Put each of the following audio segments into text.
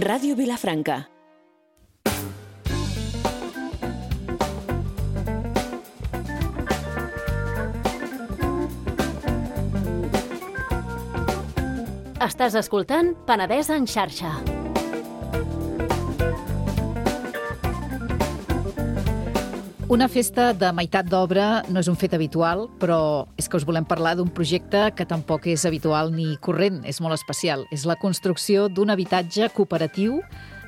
Ràdio Vilafranca. Estàs escoltant Penedès en xarxa. Una festa de meitat d'obra no és un fet habitual, però és que us volem parlar d'un projecte que tampoc és habitual ni corrent, és molt especial. És la construcció d'un habitatge cooperatiu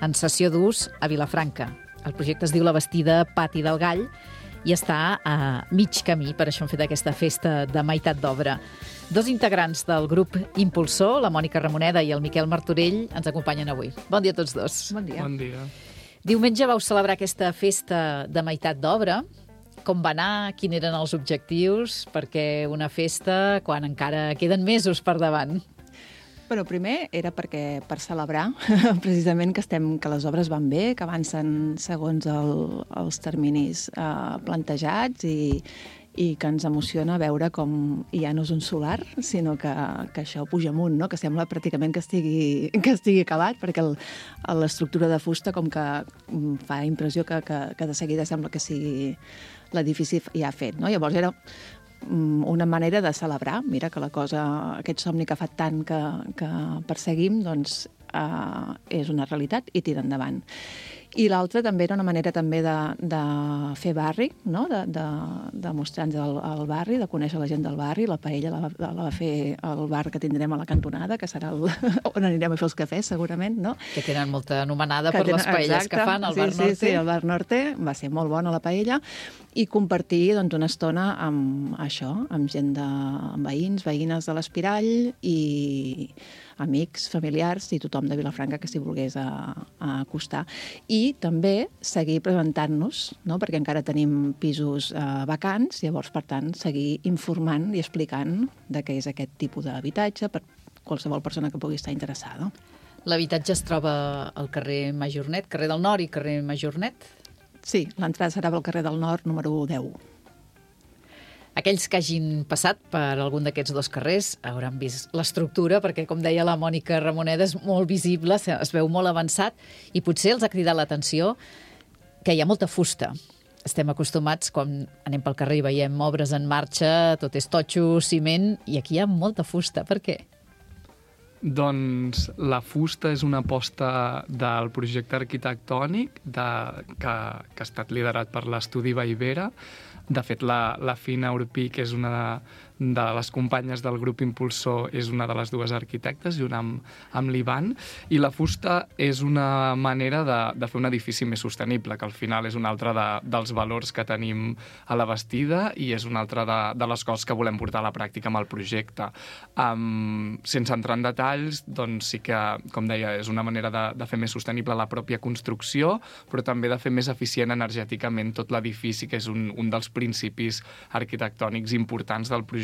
en cessió d'ús a Vilafranca. El projecte es diu La Bastida Pati del Gall i està a mig camí, per això hem fet aquesta festa de meitat d'obra. Dos integrants del grup impulsor, la Mònica Ramoneda i el Miquel Martorell, ens acompanyen avui. Bon dia a tots dos. Bon dia. Bon dia. Diumenge vau celebrar aquesta festa de meitat d'obra. Com va anar? Quins eren els objectius? Perquè una festa quan encara queden mesos per davant. Però primer era per celebrar precisament que les obres van bé, que avancen segons els terminis plantejats i que ens emociona veure com ja no és un solar, sinó que això puja amunt, no? Que sembla pràcticament que estigui acabat, perquè l'estructura de fusta com que fa impressió que de seguida sembla que sigui l'edifici ja fet, no? Llavors era una manera de celebrar, mira, que la cosa, aquest somni que fa tant que perseguim, doncs és una realitat i tira endavant. I l'altra també era una manera també de fer barri, no? De mostrar-nos el barri, de conèixer la gent del barri. La paella la va fer el bar que tindrem a la cantonada, que serà on anirem a fer els cafès, segurament, no? Que tenen molta anomenada per les paelles que fan al Bar Norte. Sí, el Bar Norte va ser molt bona la paella. I compartir doncs, una estona amb això, amb gent amb veïns, veïnes de l'Espirall i amics, familiars i tothom de Vilafranca que s'hi volgués acostar. I també seguir presentant-nos, no? Perquè encara tenim pisos vacants, llavors, per tant, seguir informant i explicant de què és aquest tipus d'habitatge per qualsevol persona que pugui estar interessada. L'habitatge es troba al carrer Majornet, carrer del Nord i carrer Majornet? Sí, l'entrada serà pel carrer del Nord, número 10. Aquells que hagin passat per algun d'aquests dos carrers hauran vist l'estructura, perquè, com deia la Mònica Ramoneda, és molt visible, es veu molt avançat, i potser els ha cridat l'atenció que hi ha molta fusta. Estem acostumats, quan anem pel carrer i veiem obres en marxa, tot és totxo, ciment, i aquí hi ha molta fusta. Per què? Doncs la fusta és una aposta del projecte arquitectònic que ha estat liderat per l'Estudi Vallvera. De fet, la Fina Urpí, que és una de les companyes del grup impulsor, és una de les dues arquitectes, junt amb l'Ivan, i la fusta és una manera de fer un edifici més sostenible, que al final és un altre dels valors que tenim a la Bastida i és una altra de les coses que volem portar a la pràctica amb el projecte. Sense entrar en detalls, doncs sí que, com deia, és una manera de fer més sostenible la pròpia construcció, però també de fer més eficient energèticament tot l'edifici, que és un dels principis arquitectònics importants del projecte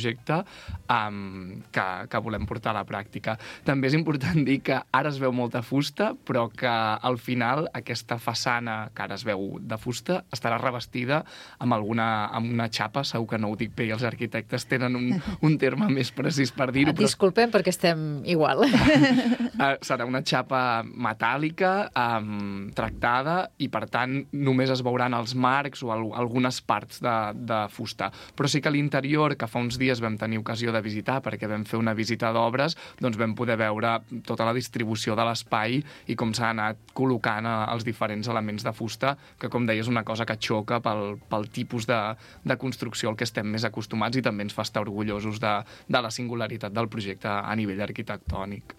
que volem portar a la pràctica. També és important dir que ara es veu molta fusta, però que al final aquesta façana que ara es veu de fusta estarà revestida amb una xapa, segur que no ho dic bé i els arquitectes tenen un terme més precís per dir-ho. Disculpem perquè estem igual. Serà una xapa metàl·lica tractada i per tant només es veuran els marcs o algunes parts de fusta. Però sí que a l'interior, que fa uns dies vam tenir ocasió de visitar perquè vam fer una visita d'obres, doncs vam poder veure tota la distribució de l'espai i com s'ha anat col·locant els diferents elements de fusta, que com deia és una cosa que xoca pel tipus de construcció al que estem més acostumats i també ens fa estar orgullosos de la singularitat del projecte a nivell arquitectònic.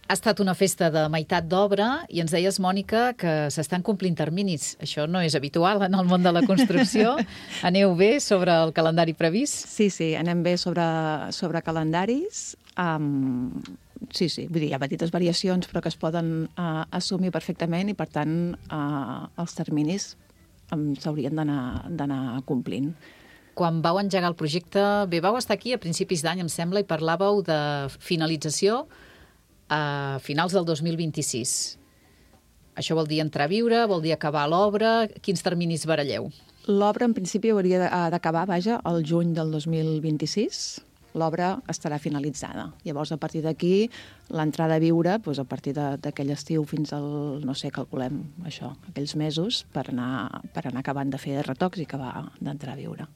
Ha estat una festa de meitat d'obra i ens deies, Mònica, que s'estan complint terminis. Això no és habitual en el món de la construcció. Aneu bé sobre el calendari previst? Sí, anem bé sobre calendaris. Sí, vull dir, hi ha petites variacions però que es poden assumir perfectament i, per tant, els terminis s'haurien d'anar complint. Quan vau engegar el projecte, bé, vau estar aquí a principis d'any, em sembla, i parlàveu de finalització a finals del 2026. Això vol dir entrar a viure, vol dir acabar l'obra? Quins terminis baralleu? L'obra, en principi, hauria d'acabar, al juny del 2026, l'obra estarà finalitzada. Llavors, a partir d'aquí, l'entrada a viure, doncs, a partir d'aquell estiu fins al, no sé, calculem això, aquells mesos, per anar acabant de fer retocs i acabar d'entrar a viure.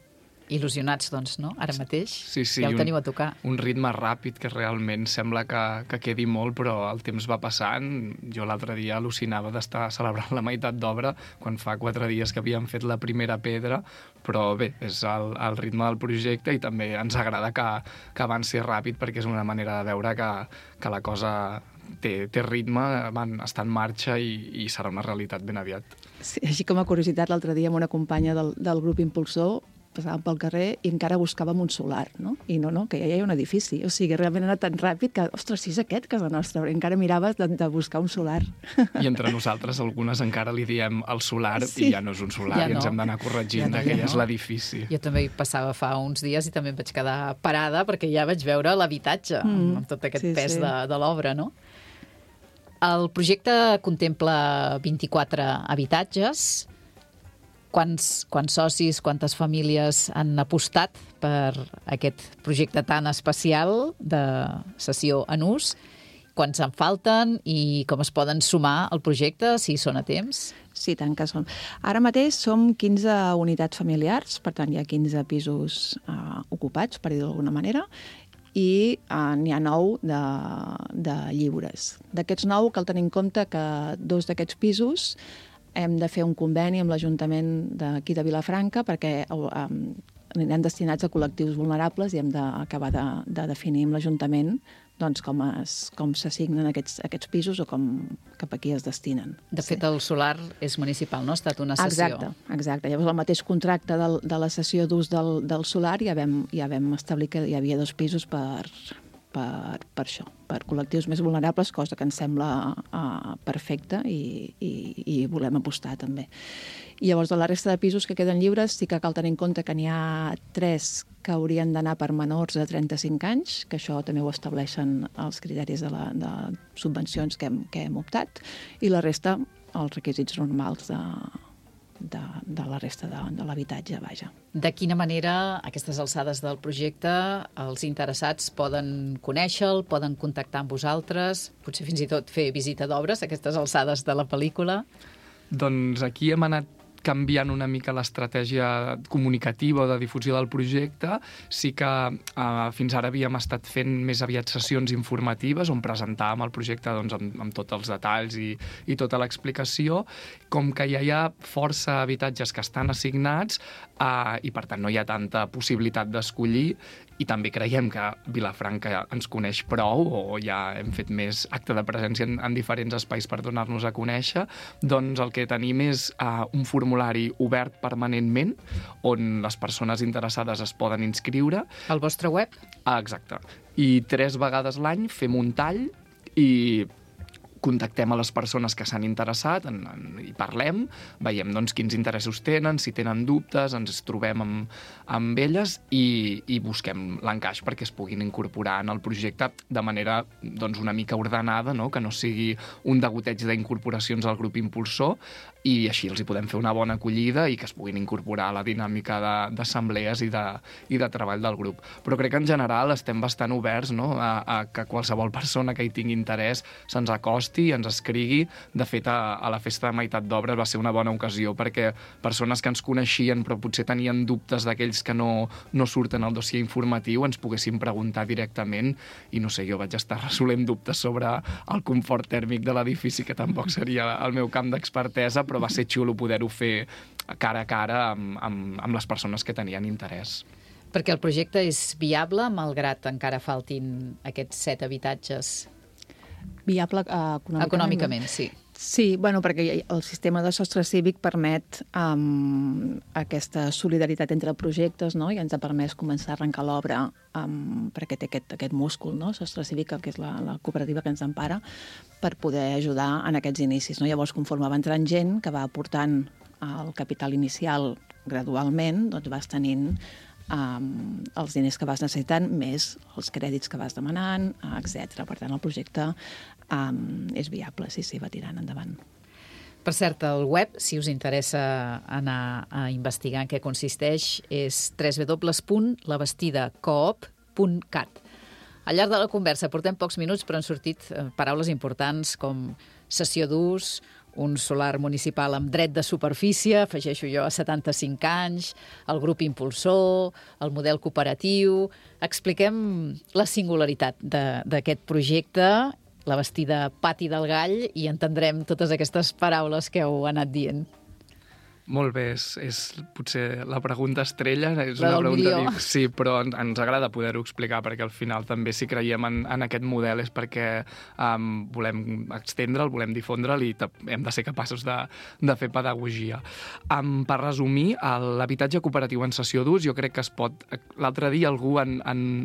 Il·lusionats, doncs, no? Ara mateix. Sí, ja ho teniu a tocar. Un ritme ràpid que realment sembla que quedi molt, però el temps va passant. Jo l'altre dia al·lucinava d'estar celebrant la meitat d'obra quan fa 4 dies que havíem fet la primera pedra, però bé, és el ritme del projecte i també ens agrada que avanci ràpid perquè és una manera de veure que la cosa té ritme, està en marxa i serà una realitat ben aviat. Sí, així com a curiositat, l'altre dia amb una companya del grup Impulsor passàvem pel carrer i encara buscàvem un solar, no? I no, que ja hi ha un edifici. O sigui, realment era tan ràpid que, ostres, si és aquest casa nostra, encara miraves de buscar un solar. I entre nosaltres, algunes encara li diem el solar i ja no és un solar, i ens hem d'anar corregint que ja és l'edifici. Jo també hi passava fa uns dies i també em vaig quedar parada perquè ja vaig veure l'habitatge amb tot aquest pes de l'obra, no? El projecte contempla 24 habitatges. Quants socis, quantes famílies han apostat per aquest projecte tan especial de sessió en ús? Quants en falten i com es poden sumar al projecte, si són a temps? Sí, tant que som. Ara mateix som 15 unitats familiars, per tant hi ha 15 pisos ocupats, per dir d'alguna manera, i n'hi ha 9 de lliures. D'aquests 9 cal tenir en compte que 2 d'aquests pisos hem de fer un conveni amb l'Ajuntament d'aquí de Vilafranca perquè aniran destinats a col·lectius vulnerables i hem d'acabar de definir amb l'Ajuntament doncs, com s'assignen aquests pisos o cap a qui es destinen. De fet, el solar és municipal, no? Ha estat una cessió. Exacte. Llavors, el mateix contracte de la cessió d'ús del solar ja vam establir que hi havia 2 pisos per això, per col·lectius més vulnerables, cosa que ens sembla perfecta i volem apostar també. I llavors, de la resta de pisos que queden lliures, sí que cal tenir en compte que n'hi ha 3 que haurien d'anar per menors de 35 anys, que això també ho estableixen els criteris de subvencions que hem optat, i la resta, els requisits normals de la resta de l'habitatge, vaja. De quina manera, a aquestes alçades del projecte, els interessats poden conèixer-lo, poden contactar amb vosaltres, potser fins i tot fer visita d'obres a aquestes alçades de la pel·lícula? Doncs aquí hem anat canviant una mica l'estratègia comunicativa o de difusió del projecte. Sí que fins ara havíem estat fent més aviat sessions informatives on presentàvem el projecte doncs, amb tots els detalls i tota l'explicació. Com que ja hi ha força habitatges que estan assignats i per tant no hi ha tanta possibilitat d'escollir, i també creiem que Vilafranca ens coneix prou o ja hem fet més acte de presència en diferents espais per donar-nos a conèixer, doncs el que tenim és un formulari obert permanentment on les persones interessades es poden inscriure. Al vostre web? Exacte. I 3 vegades l'any fem un tall i contactem a les persones que s'han interessat i parlem, veiem doncs, quins interessos tenen, si tenen dubtes, ens trobem amb elles i busquem l'encaix perquè es puguin incorporar en el projecte de manera doncs, una mica ordenada, no? Que no sigui un degoteig d'incorporacions al grup impulsor i així els hi podem fer una bona acollida i que es puguin incorporar a la dinàmica d'assemblees i de treball del grup. Però crec que en general estem bastant oberts, no? a que qualsevol persona que hi tingui interès se'ns acosti, ens escrigui. De fet, a la festa de meitat d'obres va ser una bona ocasió perquè persones que ens coneixien però potser tenien dubtes d'aquells que no surten al dossier informatiu ens poguessin preguntar directament i no sé, jo vaig estar resolent dubtes sobre el confort tèrmic de l'edifici, que tampoc seria el meu camp d'expertesa, però va ser xulo poder-ho fer cara a cara amb les persones que tenien interès. Perquè el projecte és viable, malgrat encara faltin aquests 7 habitatges? Viable econòmicament, sí. Sí, bueno, perquè el sistema de sostre cívic permet aquesta solidaritat entre projectes, no? I ens ha permès començar a arrencar l'obra perquè té aquest múscul, no? Sostre cívic, que és la cooperativa que ens empara, per poder ajudar en aquests inicis, no? Llavors, conforme va entrant gent que va aportant el capital inicial gradualment, doncs vas tenint els diners que vas necessitant, més els crèdits que vas demanant, etc. Per tant, el projecte és viable, sí, va tirant endavant. Per cert, el web, si us interessa anar a investigar en què consisteix, és www.labestidacoop.com lloguer.cat. Al llarg de la conversa portem pocs minuts, però han sortit paraules importants com cessió d'ús, un solar municipal amb dret de superfície, afegeixo jo, a 75 anys, el grup impulsor, el model cooperatiu... Expliquem la singularitat d'aquest projecte, la bastida Pati del Gall, i entendrem totes aquestes paraules que heu anat dient. Molt bé, és potser la pregunta estrella. És la una del pregunta milió. sí, però ens agrada poder-ho explicar, perquè al final també si creiem en aquest model és perquè volem extendre'l, volem difondre'l i hem de ser capaços de fer pedagogia. Per resumir, l'habitatge cooperatiu en cessió d'ús, jo crec que es pot... L'altre dia algú en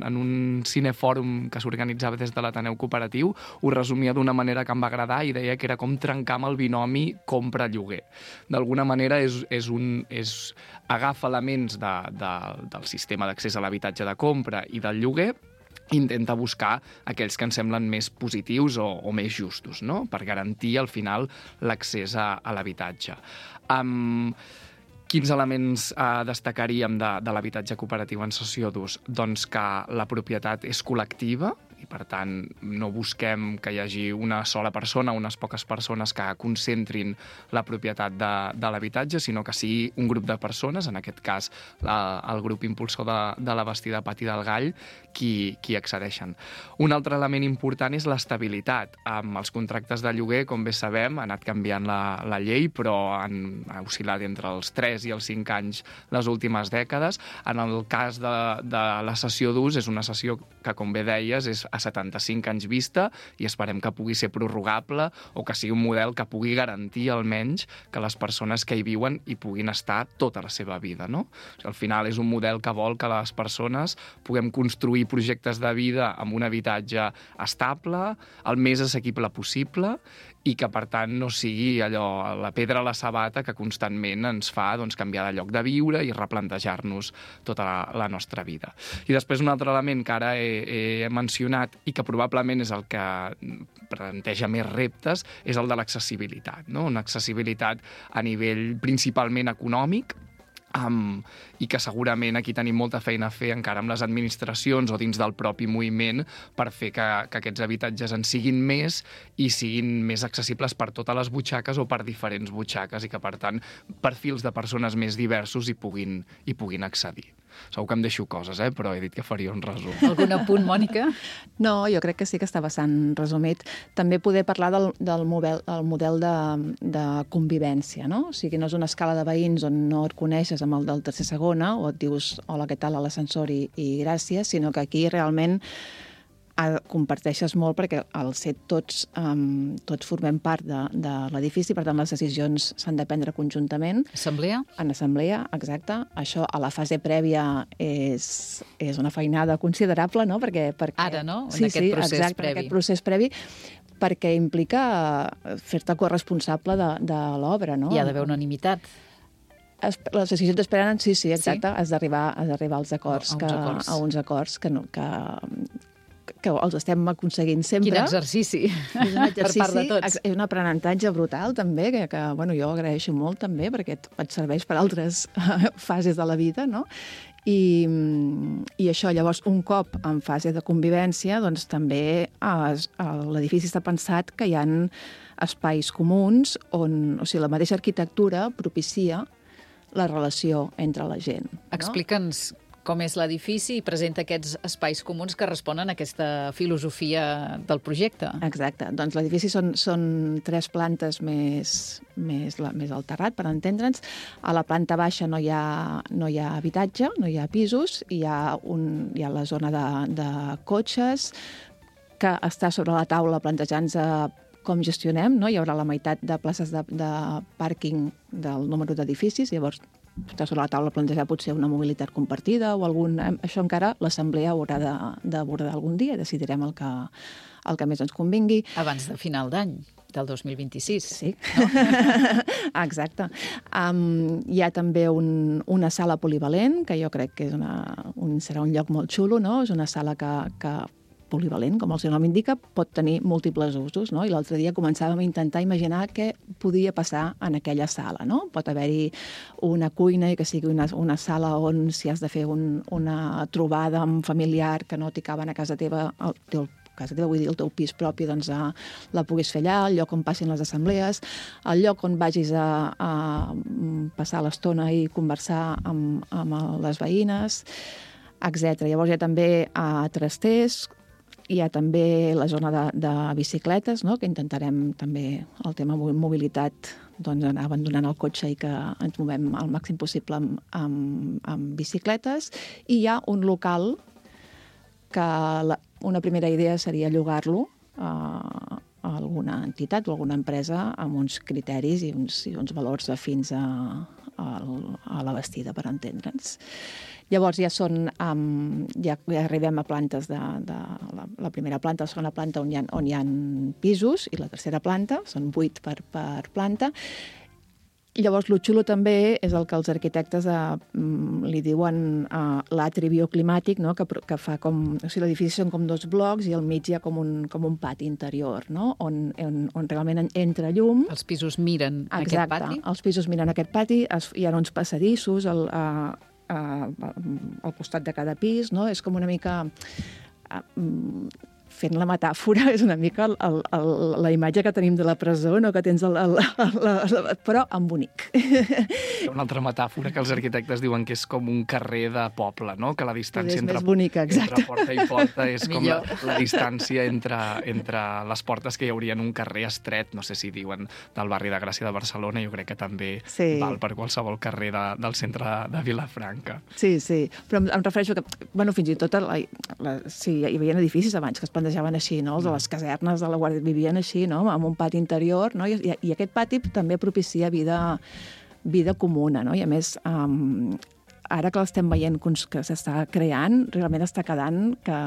un cinefòrum que s'organitzava des de l'Ateneu Cooperatiu ho resumia d'una manera que em va agradar i deia que era com trencar amb el binomi compra-lloguer. D'alguna manera agafa elements del sistema d'accés a l'habitatge de compra i del lloguer i intenta buscar aquells que ens semblen més positius o més justos, no? Per garantir, al final, l'accés a l'habitatge. Quins elements destacaríem de l'habitatge cooperatiu en cessió d'ús? Doncs que la propietat és col·lectiva, i per tant no busquem que hi hagi una sola persona, unes poques persones que concentrin la propietat de l'habitatge, sinó que sigui un grup de persones, en aquest cas el grup impulsor de la bastida Pati del Gall, qui accedeixen. Un altre element important és l'estabilitat. Amb els contractes de lloguer, com bé sabem, ha anat canviant la llei, però han oscil·lat entre els 3 i els 5 anys les últimes dècades. En el cas de la cessió d'ús, és una cessió que, com bé deies, és a 75 anys vista i esperem que pugui ser prorrogable o que sigui un model que pugui garantir almenys que les persones que hi viuen hi puguin estar tota la seva vida, no? O sigui, al final és un model que vol que les persones puguem construir projectes de vida amb un habitatge estable, el més assequible possible i que, per tant, no sigui allò, la pedra a la sabata que constantment ens fa canviar de lloc de viure i replantejar-nos tota la nostra vida. I després un altre element que ara he mencionat i que probablement és el que planteja més reptes és el de l'accessibilitat, no? Una accessibilitat a nivell principalment econòmic, i que segurament aquí tenim molta feina a fer encara amb les administracions o dins del propi moviment per fer que aquests habitatges en siguin més i siguin més accessibles per totes les butxaques o per diferents butxaques i que, per tant, perfils de persones més diversos hi puguin accedir. Segur que em deixo coses, però he dit que faria un resum. Algun apunt, Mònica? No, jo crec que sí que està bastant resumit. També poder parlar del model de convivència, no? O sigui, no és una escala de veïns on no et coneixes amb el del tercer segona o et dius hola, què tal, a l'ascensor i gràcies, sinó que aquí realment comparteixes molt perquè al ser tots formem part de l'edifici, per tant les decisions s'han de prendre conjuntament. Assemblea? En assemblea, exacte. Això a la fase prèvia és una feinada considerable, no? Perquè ara, no? Sí, exacte, en aquest procés previ, perquè implica fer-te corresponsable de l'obra, no? Hi ha d'haver unanimitat. Les decisions es prenen, sí, exacte. Has d'arribar als acords, a uns acords que els estem aconseguint sempre. Quin exercici, és un exercici per part de tots. És un aprenentatge brutal, també, que jo agraeixo molt, també, perquè et serveix per altres fases de la vida, no? I això, llavors, un cop en fase de convivència, doncs també l'edifici està pensat que hi ha espais comuns on, o sigui, la mateixa arquitectura propicia la relació entre la gent. Explica'ns com és l'edifici i presenta aquests espais comuns que responen a aquesta filosofia del projecte. Exacte. Doncs l'edifici són 3 plantes més al terrat, per entendre'ns. A la planta baixa no hi ha habitatge, no hi ha pisos, hi ha la zona de cotxes que està sobre la taula plantejant-se com gestionem, no? Hi haurà la meitat de places de pàrquing del número d'edificis, llavors està sobre la taula plantejar potser una mobilitat compartida o algun... Això encara l'assemblea haurà d'abordar algun dia, decidirem el que més ens convingui. Abans de final d'any, del 2026. Sí, no? Exacte. Hi ha també una sala polivalent, que jo crec que serà un lloc molt xulo, no? És una sala que polivalent, com el seu nom indica, pot tenir múltiples usos, no? I l'altre dia començàvem a intentar imaginar què podia passar en aquella sala, no? Pot haver-hi una cuina i que sigui una sala on si has de fer una trobada amb familiar que no t'hi caben a casa teva, vull dir, el teu pis propi, doncs la puguis fer allà, el lloc on passin les assemblees, el lloc on vagis a passar l'estona i conversar amb les veïnes, etc. Llavors hi ha també trasters, hi ha també la zona de bicicletes, no? Que intentarem també el tema mobilitat, doncs anar abandonant el cotxe i que ens movem al màxim possible amb bicicletes. I hi ha un local que una primera idea seria llogar-lo a alguna entitat o alguna empresa amb uns criteris i uns valors afins a la bastida, per entendre'ns. Llavors ja arribem a plantes la primera planta, la segona planta on hi ha pisos i la tercera planta, són 8 per planta. Llavors, el xulo també és el que els arquitectes li diuen l'atri bioclimàtic, no? Que fa com... O sigui, l'edifici són com 2 blocs i al mig hi ha com un pati interior, no? On realment entra llum. Els pisos miren aquest pati? Exacte, els pisos miren aquest pati, hi ha uns passadissos al costat de cada pis, no? És com una mica... Fent la metàfora, és una mica la imatge que tenim de la presó, no? Que tens però en bonic. Hi ha una altra metàfora que els arquitectes diuen que és com un carrer de poble, no? Que la distància entre porta i porta és com la distància entre les portes que hi hauria en un carrer estret, no sé si diuen del barri de Gràcia de Barcelona, jo crec que també val per qualsevol carrer del centre de Vilafranca. Sí, però em refereixo que, fins i tot, sí, hi havia edificis abans que es plantejaven així, no? Els de les casernes de la Guàrdia vivien així, no? Amb un pati interior, no? I aquest pati també propicia vida comuna, no? I a més, ara que l'estem veient que s'està creant, realment està quedant que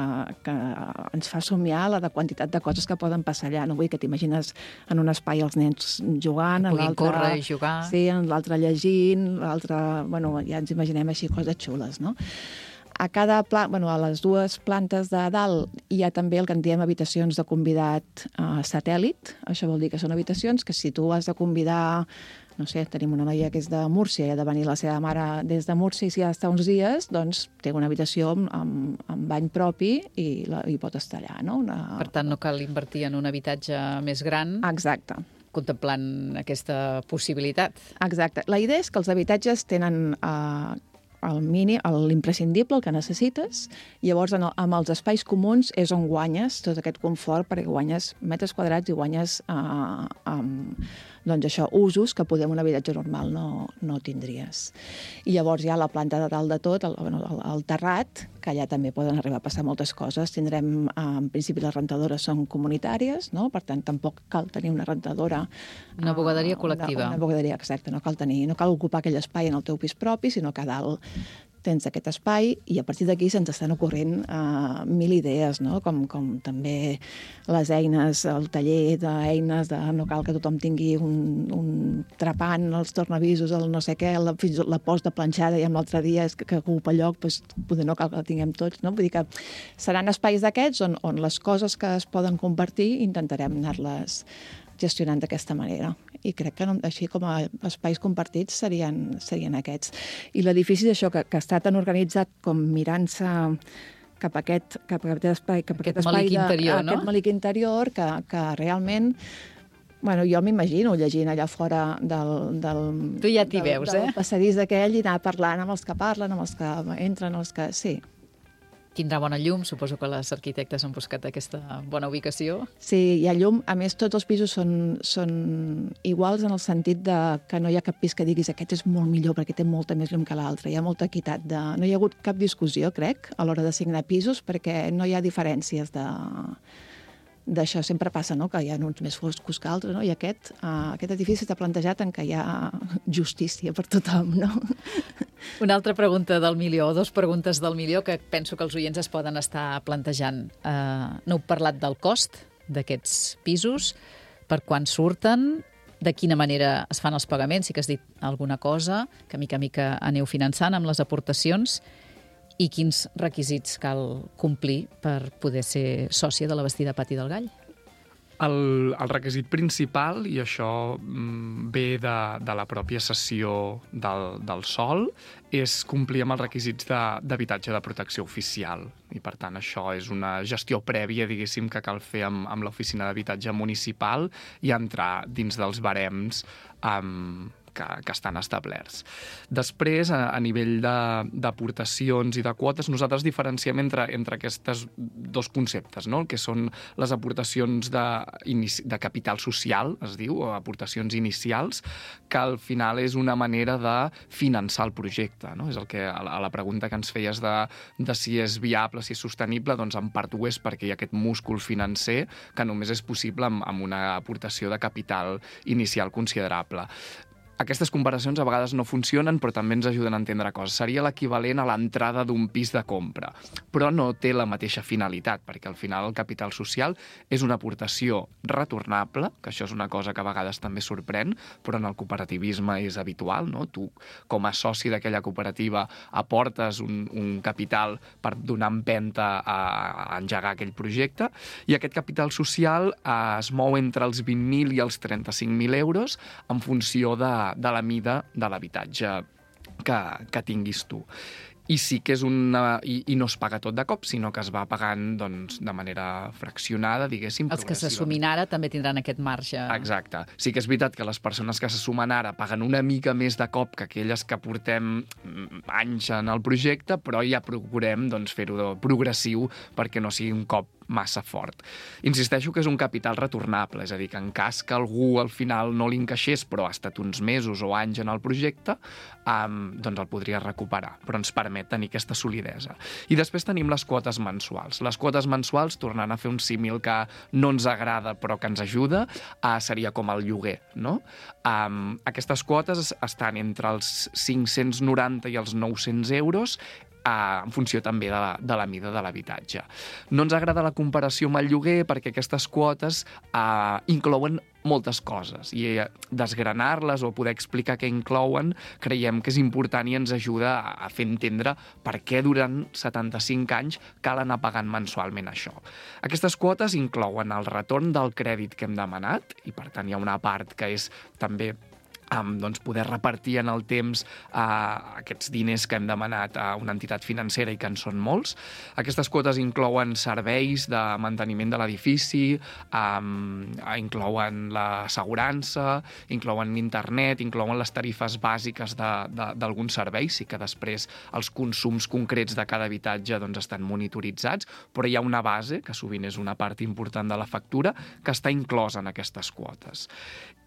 ens fa somiar la quantitat de coses que poden passar allà. No vull que t'imagines en un espai els nens jugant, que puguin córrer i jugar. Sí, en l'altre llegint, l'altre... ja ens imaginem així coses xules, no? A les 2 plantes de dalt hi ha també el que en diem habitacions de convidat satèl·lit. Això vol dir que són habitacions que si tu has de convidar, no sé, tenim una noia que és de Múrcia i ha de venir la seva mare des de Múrcia i si ha d'estar uns dies, doncs té una habitació amb bany propi i pot estar allà, no? Per tant, no cal invertir en un habitatge més gran. Exacte. Contemplant aquesta possibilitat. Exacte. La idea és que els habitatges tenen l'imprescindible, el que necessites, i llavors amb els espais comuns és on guanyes tot aquest confort, perquè guanyes metres quadrats i guanyes usos que poder en un habitatge normal no tindries. I llavors ja la planta de dalt de tot, el terrat, que allà també poden arribar a passar moltes coses. Tindrem, en principi, les rentadores són comunitàries, no? Per tant, tampoc cal tenir una rentadora... Una bugaderia col·lectiva. Una bugaderia, exacte. No cal ocupar aquell espai en el teu pis propi, sinó que a dalt tens aquest espai i a partir d'aquí se'ns estan ocorrent 1000 idees, no? Com també les eines, el taller d'eines, no cal que tothom tingui un trepant, els tornavisos, el no sé què, fins la post de planxada i amb l'altre dia és que ocupa lloc, doncs poder no cal que la tinguem tots, no? Vull dir que seran espais d'aquests on les coses que es poden compartir intentarem anar-les gestionant d'aquesta manera. I crec que així com a espais compartits serien aquests. I l'edifici és això, que està tan organitzat com mirant-se cap a aquest espai, aquest malic interior, no? Aquest malic interior que realment... jo m'imagino llegint allà fora del... Tu ja t'hi veus, del passadís aquell i anar parlant amb els que parlen, amb els que entren, els que... Sí. Tindrà bona llum, suposo que les arquitectes han buscat aquesta bona ubicació. Sí, hi ha llum. A més, tots els pisos són iguals en el sentit que no hi ha cap pis que diguis aquest és molt millor perquè té molta més llum que l'altre. Hi ha molta equitat. No hi ha hagut cap discussió, crec, a l'hora d'assignar pisos perquè no hi ha diferències d'això. Sempre passa, no?, que hi ha uns més foscos que altres, no? I aquest edifici està plantejat en què hi ha justícia per tothom, no? Una altra pregunta del milió, o 2 preguntes del milió que penso que els oients es poden estar plantejant. No heu parlat del cost d'aquests pisos, per quan surten, de quina manera es fan els pagaments, sí que has dit alguna cosa, que mica a mica aneu finançant amb les aportacions, i quins requisits cal complir per poder ser sòcia de la Bastida Pati del Gall? El requisit principal, i això ve de la pròpia cessió del sòl, és complir amb els requisits d'habitatge de protecció oficial. I, per tant, això és una gestió prèvia, diguéssim, que cal fer amb l'oficina d'habitatge municipal i entrar dins dels barems que estan establerts. Després, a nivell d'aportacions i de quotes, nosaltres diferenciem entre aquests dos conceptes, no? El que són les aportacions de capital social, es diu, o aportacions inicials, que al final és una manera de finançar el projecte, no? És el que, a la pregunta que ens feies de si és viable, si és sostenible, doncs en part ho és perquè hi ha aquest múscul financer que només és possible amb una aportació de capital inicial considerable. Aquestes comparacions a vegades no funcionen, però també ens ajuden a entendre coses. Seria l'equivalent a l'entrada d'un pis de compra, però no té la mateixa finalitat, perquè al final el capital social és una aportació retornable, que això és una cosa que a vegades també sorprèn, però en el cooperativisme és habitual, no? Tu, com a soci d'aquella cooperativa, aportes un capital per donar empenta a engegar aquell projecte, i aquest capital social es mou entre els 20.000 i els 35.000 euros en funció de la mida de l'habitatge que tinguis tu. I sí que és i no es paga tot de cop, sinó que es va pagant de manera fraccionada, diguéssim. Els que s'assumin ara també tindran aquest marge. Exacte. Sí que és veritat que les persones que s'assumen ara paguen una mica més de cop que aquelles que portem anys en el projecte, però ja procurem fer-ho progressiu perquè no sigui un cop massa fort. Insisteixo que és un capital retornable, és a dir, que en cas que algú al final no li encaixés, però ha estat uns mesos o anys en el projecte, doncs el podria recuperar, però ens permet tenir aquesta solidesa. I després tenim les quotes mensuals. Les quotes mensuals, tornant a fer un símil que no ens agrada però que ens ajuda, seria com el lloguer, no? Aquestes quotes estan entre els 590 i els 900 euros, en funció també de la mida de l'habitatge. No ens agrada la comparació amb el lloguer perquè aquestes quotes inclouen moltes coses i desgranar-les o poder explicar què inclouen creiem que és important i ens ajuda a fer entendre per què durant 75 anys cal anar pagant mensualment això. Aquestes quotes inclouen el retorn del crèdit que hem demanat i per tant hi ha una part que és també poder repartir en el temps aquests diners que hem demanat a una entitat financera i que en són molts. Aquestes quotes inclouen serveis de manteniment de l'edifici, inclouen l'assegurança, inclouen internet, inclouen les tarifes bàsiques d'alguns serveis, sí que després els consums concrets de cada habitatge estan monitoritzats, però hi ha una base, que sovint és una part important de la factura, que està inclosa en aquestes quotes.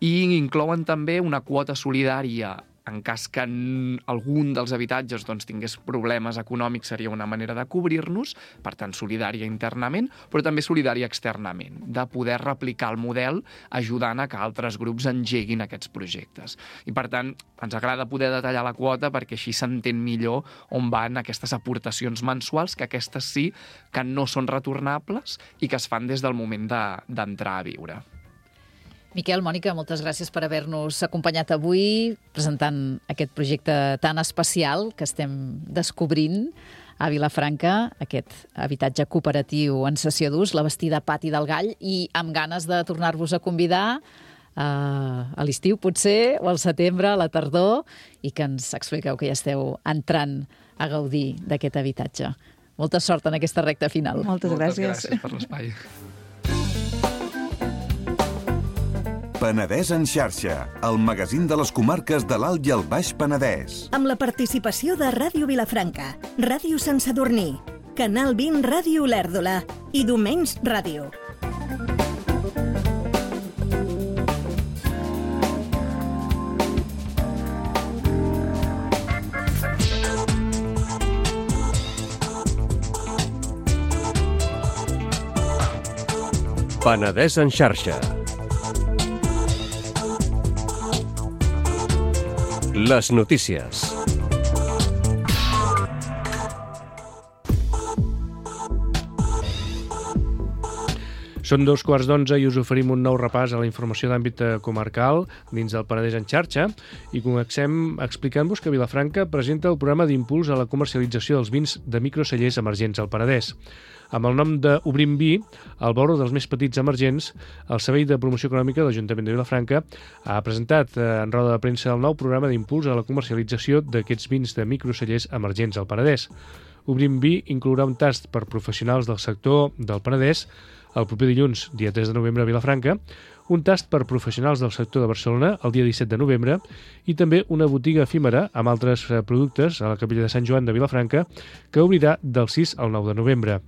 I inclouen també una quota solidària en cas que algun dels habitatges tingués problemes econòmics, seria una manera de cobrir-nos, per tant, solidària internament, però també solidària externament, de poder replicar el model ajudant a que altres grups engeguin aquests projectes. I, per tant, ens agrada poder detallar la quota perquè així s'entén millor on van aquestes aportacions mensuals, que aquestes sí que no són retornables i que es fan des del moment d'entrar a viure. Miquel, Mònica, moltes gràcies per haver-nos acompanyat avui presentant aquest projecte tan especial que estem descobrint a Vilafranca, aquest habitatge cooperatiu en cessió d'ús, la Bastida Pati del Gall, i amb ganes de tornar-vos a convidar a l'estiu, potser, o al setembre, a la tardor, i que ens expliqueu que ja esteu entrant a gaudir d'aquest habitatge. Molta sort en aquesta recta final. Moltes gràcies per l'espai. Penedès en xarxa, el magazín de les comarques de l'Alt i el Baix Penedès. Amb la participació de Ràdio Vilafranca, Ràdio Sant Sadurní, Canal 20 Ràdio Olèrdola i Domenys Ràdio. Penedès en xarxa. Les notícies. Són 11:15 i us oferim un nou repàs a la informació d'àmbit comarcal dins del Penedès en xarxa i comencem explicant-vos que Vilafranca presenta el programa d'impuls a la comercialització dels vins de microcellers emergents al Penedès. Amb el nom de Obrim Vi, el Borro dels més petits emergents, el Servei de Promoció Econòmica de l'Ajuntament de Vilafranca ha presentat en roda de premsa el nou programa d'impuls a la comercialització d'aquests vins de microcellers emergents al Penedès. Obrim Vi inclourà un tast per professionals del sector del Penedès el proper dilluns, dia 3 de novembre a Vilafranca, un tast per professionals del sector de Barcelona el dia 17 de novembre i també una botiga efímera amb altres productes a la capella de Sant Joan de Vilafranca que obrirà del 6 al 9 de novembre.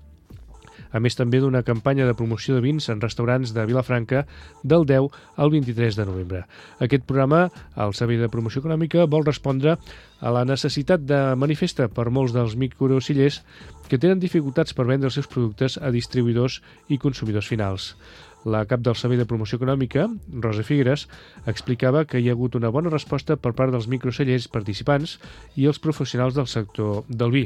A més també d'una campanya de promoció de vins en restaurants de Vilafranca del 10 al 23 de novembre. Aquest programa, el Servei de Promoció Econòmica, vol respondre a la necessitat de manifesta per molts dels microcellers que tenen dificultats per vendre els seus productes a distribuïdors i consumidors finals. La cap del Servei de Promoció Econòmica, Rosa Figueres, explicava que hi ha hagut una bona resposta per part dels microcellers participants i els professionals del sector del vi.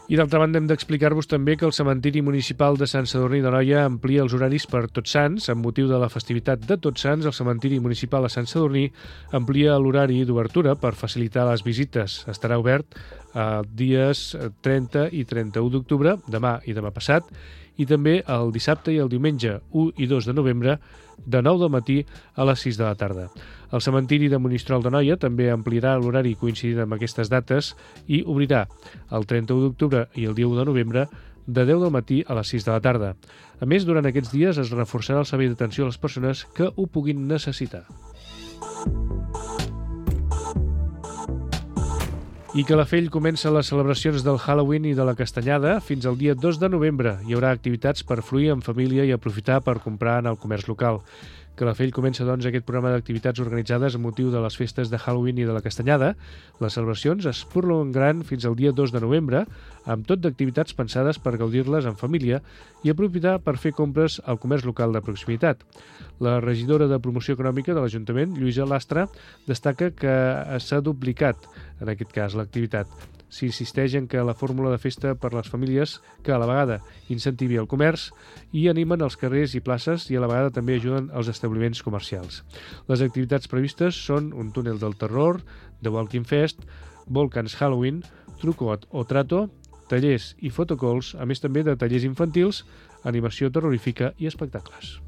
I d'altra banda hem d'explicar-vos també que el cementiri municipal de Sant Sadurní d'Anoia amplia els horaris per Tots Sants. Amb motiu de la festivitat de Tots Sants, el cementiri municipal de Sant Sadurní amplia l'horari d'obertura per facilitar les visites. Estarà obert dies 30 i 31 d'octubre, demà i demà passat, i també el dissabte i el diumenge 1 i 2 de novembre de 9 del matí a les 6 de la tarda. El cementiri de Monistrol d'Anoia també ampliarà l'horari coincidint amb aquestes dates i obrirà el 31 d'octubre i el dia 1 de novembre de 10 del matí a les 6 de la tarda. A més, durant aquests dies es reforçarà el servei d'atenció a les persones que ho puguin necessitar. I Calafell comença les celebracions del Halloween i de la Castanyada fins al dia 2 de novembre. Hi haurà activitats per fruir en família i aprofitar per comprar en el comerç local. Calafell comença, doncs, aquest programa d'activitats organitzades amb motiu de les festes de Halloween i de la Castanyada. Les celebracions es prolongaran fins al dia 2 de novembre, amb tot d'activitats pensades per gaudir-les en família i aprofitar per fer compres al comerç local de proximitat. La regidora de Promoció Econòmica de l'Ajuntament, Lluïsa Lastra, destaca que s'ha duplicat, en aquest cas, l'activitat. S'insisteix en que la fórmula de festa per les famílies que a la vegada incentivi el comerç i animen els carrers i places i a la vegada també ajuden els establiments comercials. Les activitats previstes són un túnel del terror, The Walking Fest, Volcans Halloween, Truco o Trato, tallers i photocalls, a més també de tallers infantils, animació terrorífica i espectacles.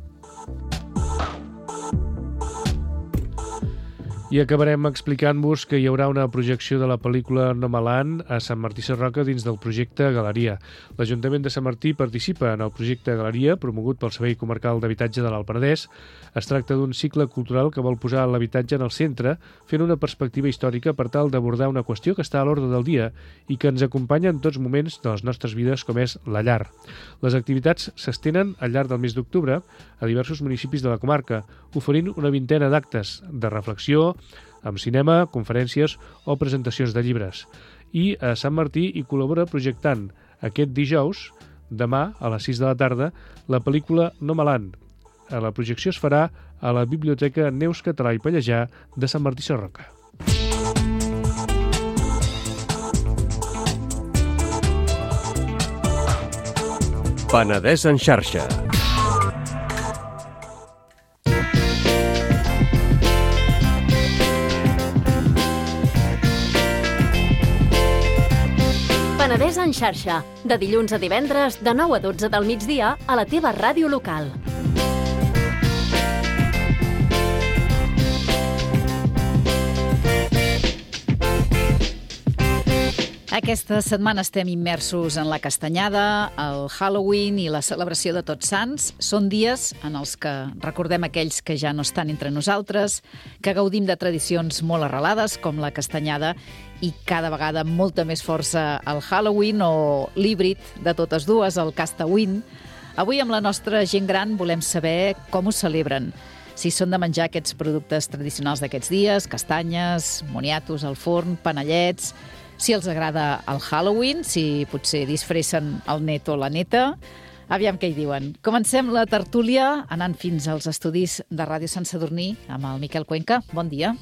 I acabarem explicant-vos que hi haurà una projecció de la pel·lícula Nomaland a Sant Martí Sarroca dins del projecte Galeria. L'Ajuntament de Sant Martí participa en el projecte Galeria, promogut pel Servei Comarcal d'Habitatge de l'Alt Penedès. Es tracta d'un cicle cultural que vol posar l'habitatge en el centre, fent una perspectiva històrica per tal d'abordar una qüestió que està a l'ordre del dia i que ens acompanya en tots moments de les nostres vides, com és la llar. Les activitats s'estenen al llarg del mes d'octubre a diversos municipis de la comarca, oferint una vintena d'actes de reflexió, amb cinema, conferències o presentacions de llibres. I a Sant Martí hi col·labora projectant aquest dijous, demà a les 6 de la tarda, la pel·lícula Nomaland. La projecció es farà a la Biblioteca Neus Català i Pallejà de Sant Martí Sarroca. Penedès en xarxa. Penedès en xarxa, de dilluns a divendres de 9 a 12 del migdia a la teva ràdio local. Aquesta setmana estem immersos en la Castanyada, el Halloween i la celebració de Tots Sants. Són dies en els que recordem aquells que ja no estan entre nosaltres, que gaudim de tradicions molt arrelades, com la Castanyada, i cada vegada amb molta més força el Halloween o l'híbrid de totes dues, el Castawin. Avui amb la nostra gent gran volem saber com ho celebren. Si són de menjar aquests productes tradicionals d'aquests dies, castanyes, moniatos al forn, panellets, si els agrada el Halloween, si potser disfressen el net o la neta. Aviam què hi diuen. Comencem la tertúlia anant fins als estudis de Ràdio Sant Sadurní amb el Miquel Cuenca. Bon dia.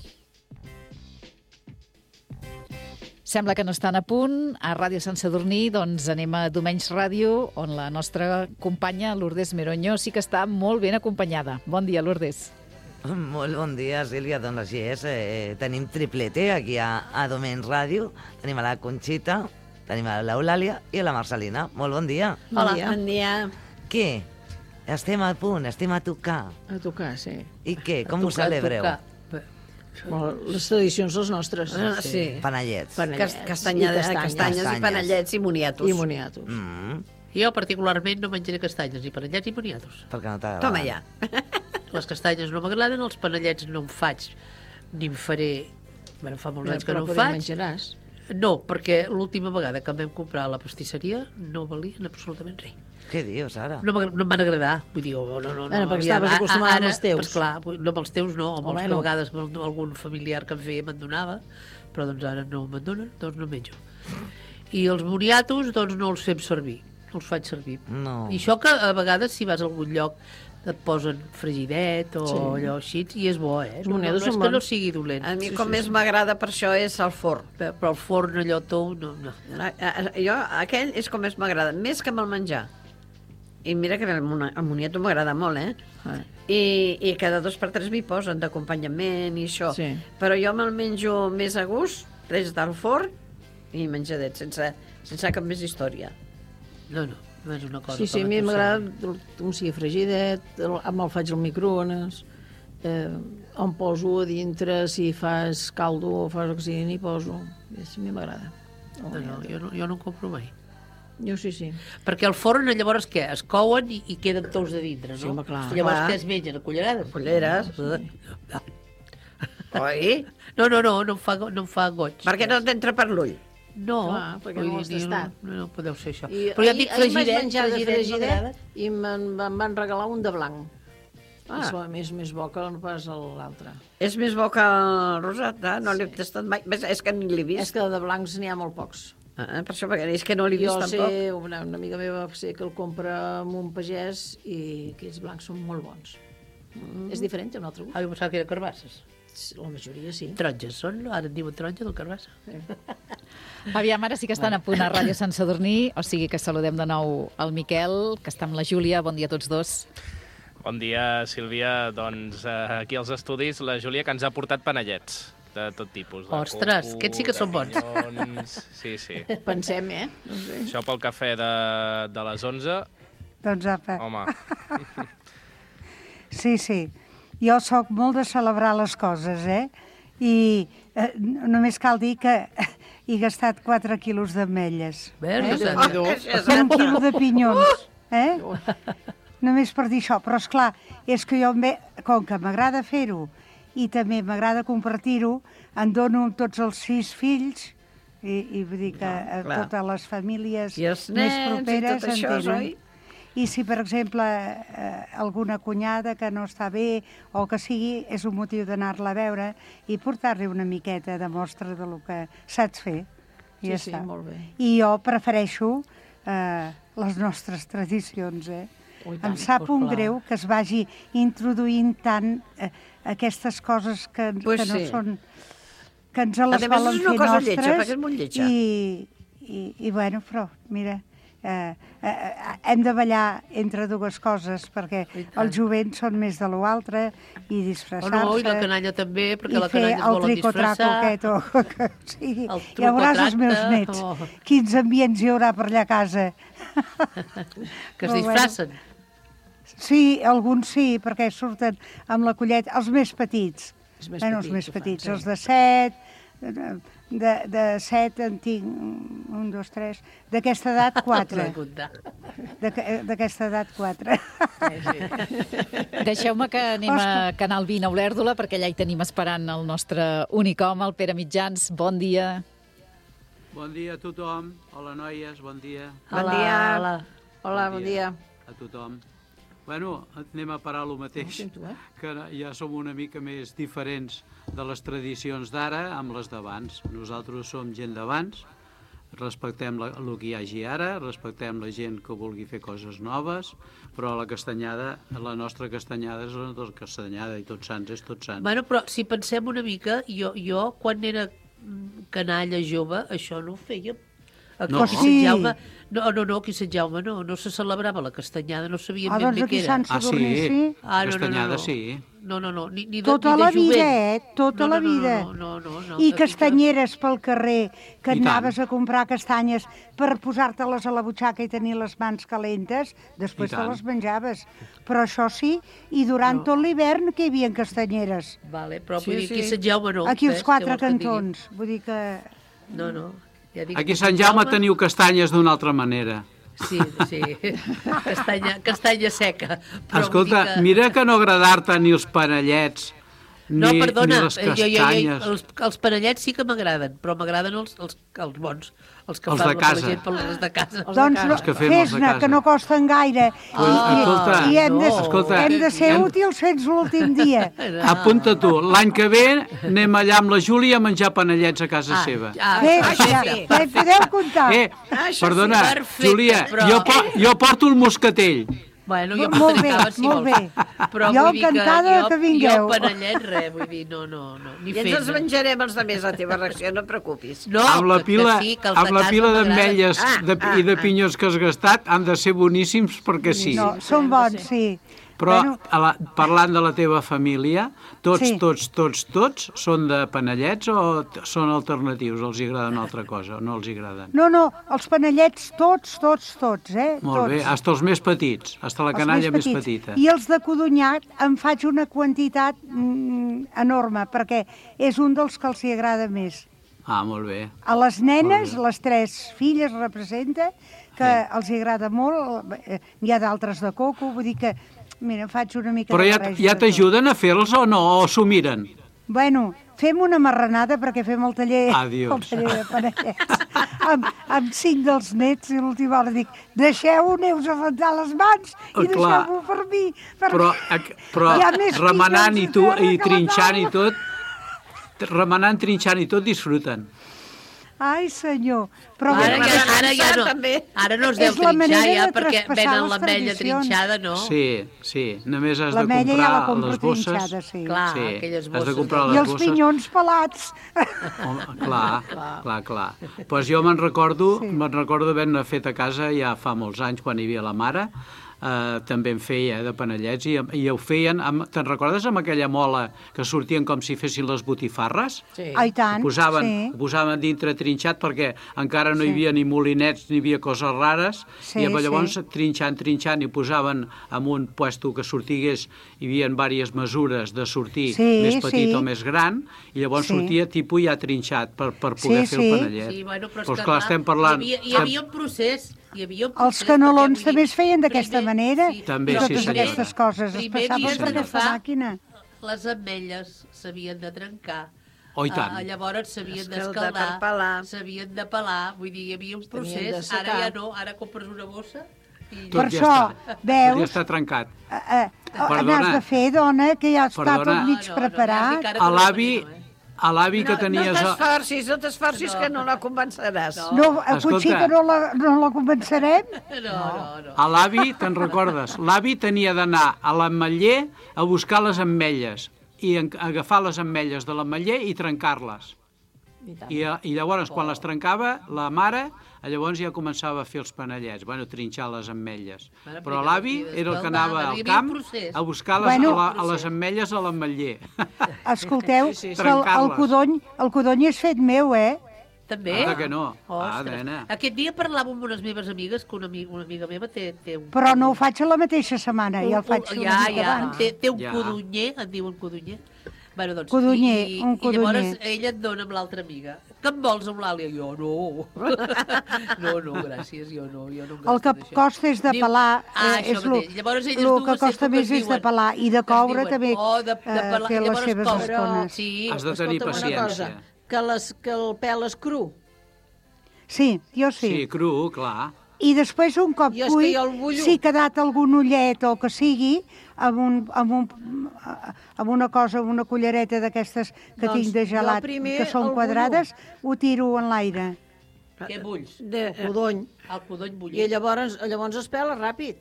Sembla que no estan a punt. A Ràdio Sant Sadurní doncs anem a Domenys Ràdio, on la nostra companya Lourdes Meroño sí que està molt ben acompanyada. Bon dia, Lourdes. Molt bon dia, Sílvia. Doncs així és. Tenim triplete aquí a Domenys Ràdio. Tenim a la Conxita, tenim a l'Eulàlia i a la Marcelina. Molt bon dia. Hola, bon dia. Què? Estem a punt, estem a tocar. A tocar, sí. I què? Com ho celebreu? Les tradicions, les nostres. Sí. Panellets. Castanyes i panellets i moniatos. I moniatos. Jo particularment no menjaré castanyes, ni panellets ni moniatos. Perquè no t'agraden. Toma ja. Les castanyes no m'agraden, els panellets no en faig, ni en faré... Bueno, fa molts anys que no en faig. Menjaràs. No, perquè l'última vegada que em vam comprar a la pastisseria no valien absolutament res. Què dius, ara? No em van agradar. Vull dir, no. Perquè estaves acostumada amb els teus. Pues clar, no amb els teus no, amb els que a vegades algun familiar que em feia me'n donava, però doncs ara no me'n donen, doncs no menjo. I els moniatos, doncs no els fem servir, no els faig servir. No. I això que a vegades si vas a algun lloc et posen fregidet o allò així, i és bo, eh? No és que no sigui dolent. A mi com més m'agrada per això és el forn. Però el forn allò tou, no. Jo, aquell és com més m'agrada, més que amb el menjar. I mira que el moniato m'agrada molt, I cada 2 per 3 m'hi posen d'acompanyament i això. Sí. Però jo me'l menjo més a gust, des del forn i menjadet, sense cap més història. No és una cosa... Sí, a mi m'agrada com sigui fregidet, amb el faig al microones, em poso a dintre, si fas caldo o fas el que sigui, n'hi poso. A mi m'agrada. Jo no en compro mai. Jo sí. Perquè el forn, llavors, què? Es couen i queden tous de dintre, no? Sí, home, clar. Llavors, què es mengen? A cullerades? Culleres. Oi? No em fa goig. Per què no t'entra per l'ull? No, perquè no ho has tastat. No podeu ser això. Però ja dic fregidet i me'n van regalar un de blanc. És més bo que no pas l'altre. És més bo que el rosat, no l'he tastat mai. És que ni l'he vist. És que de blancs n'hi ha molt pocs. Per això, perquè és que no l'he vist tampoc. Jo sé, una amiga meva sé que el compra amb un pagès i aquests blancs són molt bons. És diferent, té un altre gust. Jo pensava que eren carbasses. La majoria sí. Taronges són, ara en diuen taronja del carbassa. Aviam, ara sí que estan a punt a Ràdio Sant Sadurní, o sigui que saludem de nou el Miquel, que està amb la Júlia. Bon dia a tots dos. Bon dia, Sílvia. Doncs aquí als estudis la Júlia que ens ha portat panellets de tot tipus. Ostres, aquests sí que són bons. Sí. Pensem, No sé. Això pel cafè de les 11. Doncs apa. Home. Sí. Jo sóc molt de celebrar les coses, I només cal dir que he gastat 4 quilos d'ametlles. Un quilo de pinyons, Només per dir això. Però, esclar, és que jo, com que m'agrada fer-ho, i també m'agrada compartir-ho, en dono amb tots els 6 fills, i vull dir que a totes les famílies més properes en tenen. I si, per exemple, alguna cunyada que no està bé o que sigui, és un motiu d'anar-la a veure i portar-li una miqueta de mostra del que saps fer. Sí, molt bé. I jo prefereixo les nostres tradicions, Em sap un greu que es vagi introduint tant aquestes coses que no són... que ens les volen fer nostres. I bueno, però, mira, hem de ballar entre dues coses, perquè els jovents són més de l'altre, i disfressar-se... I la canalla també, perquè la canalla es volen disfressar. I fer el tricotraco aquest, o que sigui. Ja veuràs els meus nets, quins ambients hi haurà per allà a casa. Que es disfressen. Sí, alguns sí, perquè surten amb la colleta. Els més petits. Els més petits, els de 7, de 7 en tinc 1, 2, 3, d'aquesta edat 4. D'aquesta edat 4. Deixeu-me que anem a Canal 20 a Olèrdola, perquè allà hi tenim esperant el nostre únic home, el Pere Mitjans. Bon dia. Bon dia a tothom. Hola, noies, bon dia. Hola, bon dia. A tothom. Bueno, anem a parar el mateix, que ja som una mica més diferents de les tradicions d'ara amb les d'abans. Nosaltres som gent d'abans, respectem el que hi hagi ara, respectem la gent que vulgui fer coses noves, però la castanyada, la nostra castanyada és la nostra castanyada i Tots Sants és Tots Sants. Bueno, però si pensem una mica, jo quan era canalla jove, això no ho fèiem. Aquí No. a Sant Jaume, aquí a Sant Jaume no se celebrava la castanyada, no sabíem ben bé què era. Doncs aquí a Sant Sadurní sí. Castanyada sí. No, ni de Tota la jovent. vida, tota la vida. No. I castanyeres pel carrer, que I tant. anaves a comprar castanyes per posar-te-les a la butxaca i tenir les mans calentes, després I te tant. les menjaves. Però això sí, i durant tot l'hivern que hi havia castanyeres. Vale, però vull dir, aquí a Sant Jaume no. Aquí als què quatre vols que et digui? cantons. Vull dir que... No. Ja dic, Aquí a Sant Jaume teniu castanyes d'una altra manera. Sí. Castanya seca. Però Escolta, vull dir mira que no agradar-te ni els panellets, No, ni perdona, les castanyes. els panellets sí que m'agraden, però m'agraden els bons, els que Els fan de casa. la gent per les de casa. Doncs Els que fem els de fes-ne, casa. que no costen gaire. Escolta, I hem de ser hem- útils fins l'últim dia. Apunta tu, l'any que ve anem allà amb la Júlia a menjar panellets a casa seva. Bé, ja hi podeu comptar. Perdona, Perfecte, Júlia, però- jo porto el moscatell. Bueno, jo Molt bé, m'atracava, si molt vols. bé. Però Jo vull dir encantada que vingueu. Jo panellet, res, vull dir, no, ni I ens els menjarem els de més, la teva reacció, no et preocupis. No, amb la que pila, sí, que els amb de la casa pila m'agraden. d'ametlles i de pinyons que has gastat han de ser boníssims perquè sí. No, són bons, sí. Però Bueno, parlant de la teva família, tots Sí. són de panellets o són alternatius? Els agrada una altra cosa o no els agraden? no, els panellets tots, eh? Molt bé, tots. hasta els més petits, hasta la Els canalla més petits. petita. I els de codonyat em faig una quantitat enorme, perquè és un dels que els hi agrada més. Ah, molt bé. A les nenes, les 3 filles representa, que els hi agrada molt, n'hi ha d'altres de coco, vull dir que, mira, em faig una mica Però de ja barreja de tot. t'ajuden a fer-los o no? O s'ho miren? Bueno, fem una marranada perquè fem el taller, Adiós. el taller de panellets amb 5 dels nets i l'última hora dic, deixeu-ho, aneu-vos a rentar les mans i Clar. deixeu-ho per mi. Però hi ha més remenant pinyons i, a terra que la trinxant i taula. tot, remenant, trinxant i tot, disfruten. Ai, senyor. Però Ara ja no. també. Ara no es deu És la trinxar manera ja de perquè traspassar venen les l'ametlla tradicions. trinxada, no? Sí, només has de L'ametlla ja la comprar compro les bosses. trinxada, sí. Clar, Sí, aquelles has de bosses. comprar I les els bosses. pinyons pelats. Clar. Pues jo me'n recordo haver-ne fet a casa ja fa molts anys, quan hi havia la mare, també en feia de panellets i ho feien, te'n recordes amb aquella mola que sortien com si fessin les botifarres? Sí. Ai, tant, Ho posaven, sí. ho posaven dintre trinxat perquè encara no hi havia ni molinets ni hi havia coses rares Sí, i llavors trinxant i ho posaven en un puesto que sortigués, hi havia diverses mesures de sortir més petit o més gran i llavors sortia tipus ja trinxat per poder fer el panellet. Sí, bueno, però Pues clar, estem parlant... Hi havia un procés. Els canolons també es feien d'aquesta manera. També, i sí, totes senyora. aquestes coses es Primer passaven havien per de aquesta agafar màquina. les ametlles s'havien de trencar. Oh, i tant. Llavors s'havien Escaldar d'escaldar, per pelar. s'havien de pelar, vull dir, hi havia un de procés, secar. ara ja no, ara compres una bossa i... Tot Per ja això, està. veus? Tot ja està trencat. N'has de fer, dona, que ja està Perdona. tot mig preparat. A l'avi que tenies... No t'esforcis, que no la convenceràs. No, potser que no la convencerem? No. A l'avi, te'n recordes? L'avi tenia d'anar a l'ametller a buscar les ametlles i agafar les ametlles de l'ametller i trencar-les. I llavors, quan les trencava, la mare, llavors ja començava a fer els panellets, trinxar les ametlles. Però l'avi era el que anava al camp a buscar les ametlles a l'ametller. Escolteu, el codony és fet meu, eh? També? Anda que no. Ostres. Nena. Aquest dia parlava amb unes meves amigues, que una amiga meva té un... Però no ho faig a la mateixa setmana, ja el faig una mica abans. Té un codonyer, en diuen codonyer. Bueno, doncs, Codonyer, un codonyer. I llavors ella et dona amb l'altra amiga. Que em vols amb l'Àlia? Jo no. No, gràcies, jo no. El que costa és de pelar, és el que costa més és de pelar, i de coure també té les seves estones. Has de tenir paciència. Que el pèl és cru. Sí, jo sí. Sí, cru, clar. I després, un cop cuit, si ha quedat algun ullet o que sigui, amb una cosa, amb una cullereta d'aquestes que tinc de gelat, que són quadrades, ho tiro en l'aire. Què bulls? El codony. El codony bullit. I llavors es pela ràpid.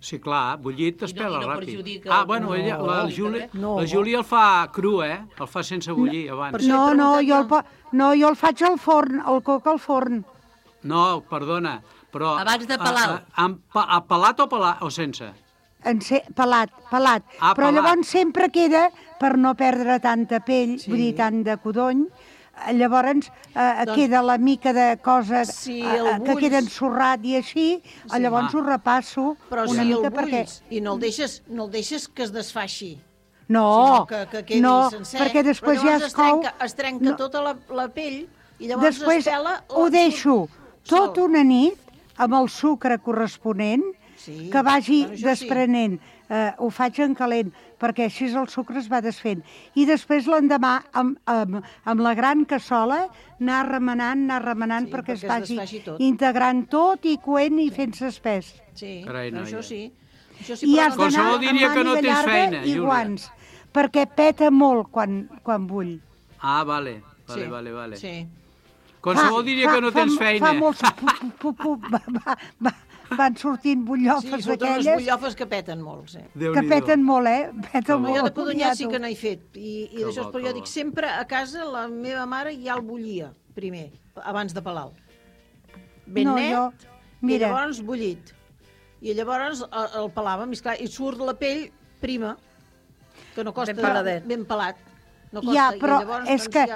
Sí, clar, bullit es pela no ràpid. perjudica... Bueno, la Júlia el fa cru, el fa sense bullir abans. No, jo el faig al forn, el coc al forn. No, perdona, però... Abans de pelar-lo. Pelat o sense? Pelat. Però pelat. llavors sempre queda, per no perdre tanta pell, vull dir, tant de codony, llavors queda la mica de cosa que queda ensorrat i així, llavors ho repasso una mica perquè... I no el deixes que es desfaixi. No, que quedi sencer, perquè després ja es cou... Es trenca tota la pell i llavors després es pela... ho deixo tot una nit amb el sucre corresponent que vagi desprenent. Ho faig en calent, perquè així el sucre es va desfent. I després l'endemà, amb la gran cassola, anar remenant perquè es vagi integrant tot i coent i fent-se espès. Sí, això sí. I has d'anar amb màniga llarga i guants, perquè peta molt quan bull. Vale. Qualsevol diria que no tens feina. Fa molts... Van sortint butllofes d'aquelles... Sí, surten unes butllofes que peten molt, Que peten molt, Peten molt. Jo de codonyat sí que n'he fet. I d'això, però jo dic, sempre a casa la meva mare ja el bullia, primer, abans de pelar-lo. Ben net, i llavors bullit. I llavors el pelàvem, i surt la pell prima, que no costa ben pelat. Ja, però és que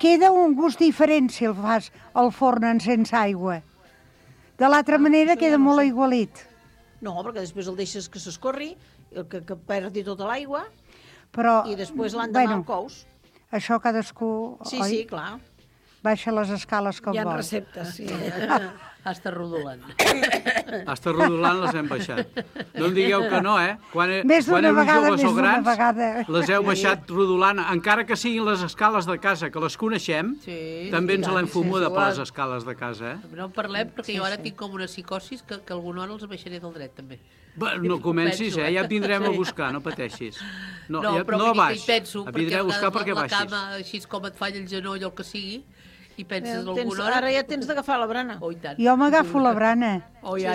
queda un gust diferent si el fas al forn sense aigua. De l'altra manera queda molt aigualit. No, perquè després el deixes que s'escorri, que perdi tota l'aigua, i després l'endemà el cous. Això cadascú... Sí, clar. Baixa les escales com vol. Hi ha receptes, sí. Està rodolant. Està rodolant, les hem baixat. No em digueu que no, Quan més d'una vegada, grans, les heu baixat rodolant, encara que siguin les escales de casa, que les coneixem, també ens l'hem fumuda per les escales de casa, No en parlem, perquè jo ara tinc com una psicosis que alguna hora els baixaré del dret, també. No comencis, ja et vindrem a buscar, no pateixis. No, però baix, penso, et vindrem a buscar perquè la baixis. cama, així com et falla el genoll o el que sigui, i penses alguna hora... Ara ja tens d'agafar la brana. Oh, i tant. Jo m'agafo la brana. Oh, ja.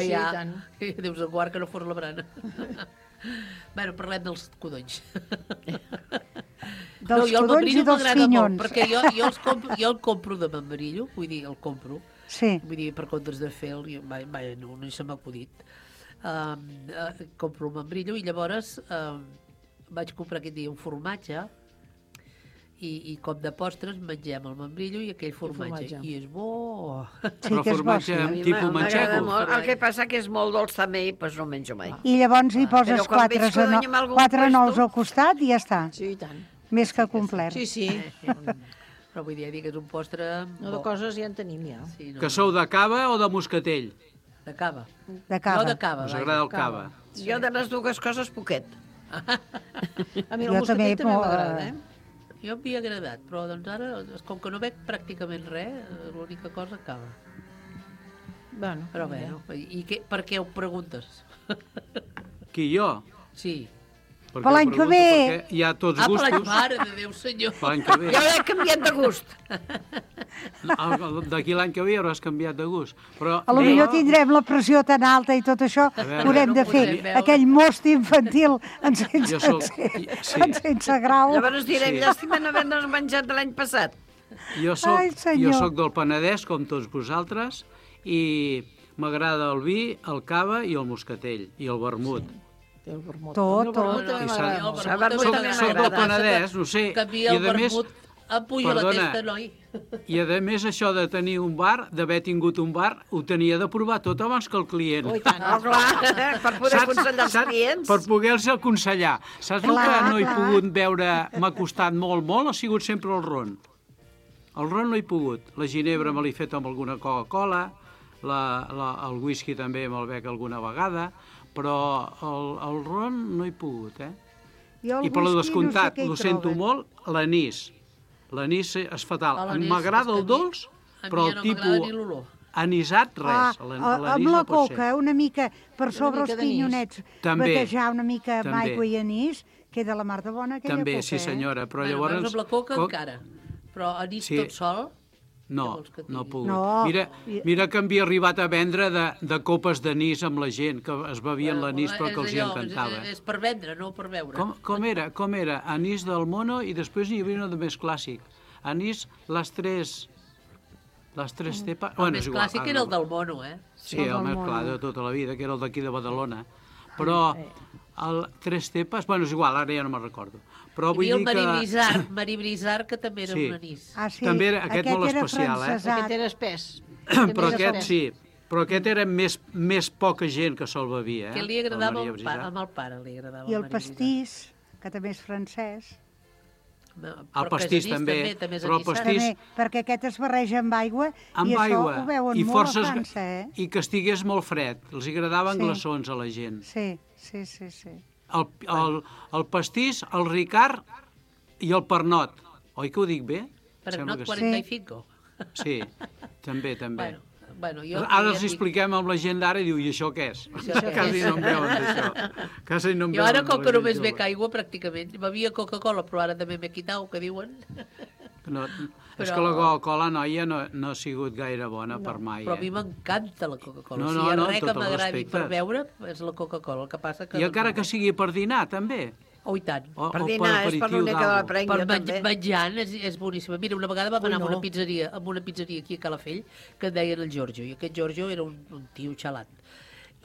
Deus a guard que no fos la brana. Bueno, parlem dels codonys. Dels codonys i dels pinyons. Perquè jo el compro de membrillo, vull dir, el compro. Sí. Vull dir, per comptes de fer no se m'ha acudit. Compro el membrillo i llavors vaig comprar aquest dia un formatge i com de postres mengem el membrillo i aquell formatge. I és bo. Però formatge tipus manxego. El que passa que és molt dolç també i no menjo mai. I llavors hi poses 4 nous al costat i ja està. Sí, i tant. Més que complet. Sí. Però vull dir que és un postre... No, de coses ja en tenim, ja. Que sou de cava o de moscatell? De cava. De cava. Jo de cava. Us agrada el cava? Jo de les dues coses poquet. A mi el moscatell també m'agrada, Jo m'havia agradat, però doncs ara, com que no veig pràcticament res, l'única cosa cava. Bueno, però bé, i per què ho preguntes? Qui, jo? Sí. Per l'any que ve. Hi ha tots gustos. Per l'any, mare de Déu, senyor. Per l'any que ve. Jo he canviat de gust. D'aquí l'any que ve hauràs canviat de gust. Però a lo millor tindrem la pressió tan alta i tot això, haurem de fer aquell most infantil en sense grau. Llavors direm, llàstima no haver-nos menjat de l'any passat. Jo soc del Penedès, com tots vosaltres, i m'agrada el vi, el cava i el moscatell, i el vermut. Tot. Soc del Penedès, no sé. Canvia el vermut, puja la testa, noi. I a més això de tenir un bar, d'haver tingut un bar, ho tenia de provar tot abans que el client. Oh, tant. Clar, per poder aconsellar els clients. Per poder-los aconsellar. Saps el que no he pogut veure, m'ha costat molt, ha sigut sempre el ron. El ron no he pogut. La ginebra me l'he fet amb alguna Coca-Cola, el whisky també me'l bec alguna vegada, però el ron no he pogut, I per lo descomptat, ho sento molt, l'anís. L'anís és fatal. M'agrada el dolç, però el tipus anisat, res. Amb la coca, una mica per sobre els pinyonets, batejar una mica amb aigua i anís, queda la mar de bona aquella coca. També, sí senyora, però llavors... Amb la coca encara, però anís tot sol... No ha pogut. Mira que havia arribat a vendre de copes d'anís amb la gent, que es bevien l'anís però que els hi encantava. És per vendre, no per beure. Com era? Anís del mono i després n'hi havia una de més clàssic. Anís, les tres tepes... El més clàssic era el del mono, Sí, el més clar de tota la vida, que era el d'aquí de Badalona. Però el tres tepes... Bueno, és igual, ara ja no me'n recordo. Però vull dir que... el Maribrizar, que també era un anís. També era aquest molt especial, Aquest era espès. Però aquest sí. Però aquest era més poca gent que se'l bevia. Que li agradava amb el pare, li agradava. I el pastís, que també és francès. El pastís també, però el pastís... Perquè aquest es barreja amb aigua i això ho veuen molt a França, I que estigués molt fred. Els agradaven glaçons a la gent. Sí. El pastís, el ricard i el pernot. Oi que ho dic bé? Pernot 45. Sí, també. Bueno, ara els expliquem amb la gent d'ara i diu, i això què és? Quasi no em veuen d'això. Jo ara, com que només bec aigua, pràcticament, bevia Coca-Cola, però ara també m'he quitat, que diuen. És que la Coca-Cola, noia, no ha sigut gaire bona per mai. Però a mi m'encanta la Coca-Cola. Si hi ha res que m'agradi per beure, és la Coca-Cola. El que passa que... I encara que sigui per dinar, també. I tant. Per dinar, és per l'única de la prenya, també. Per menjant és boníssima. Mira, una vegada vam anar a una pizzeria aquí a Calafell, que et deien el Giorgio, i aquest Giorgio era un tio xalat.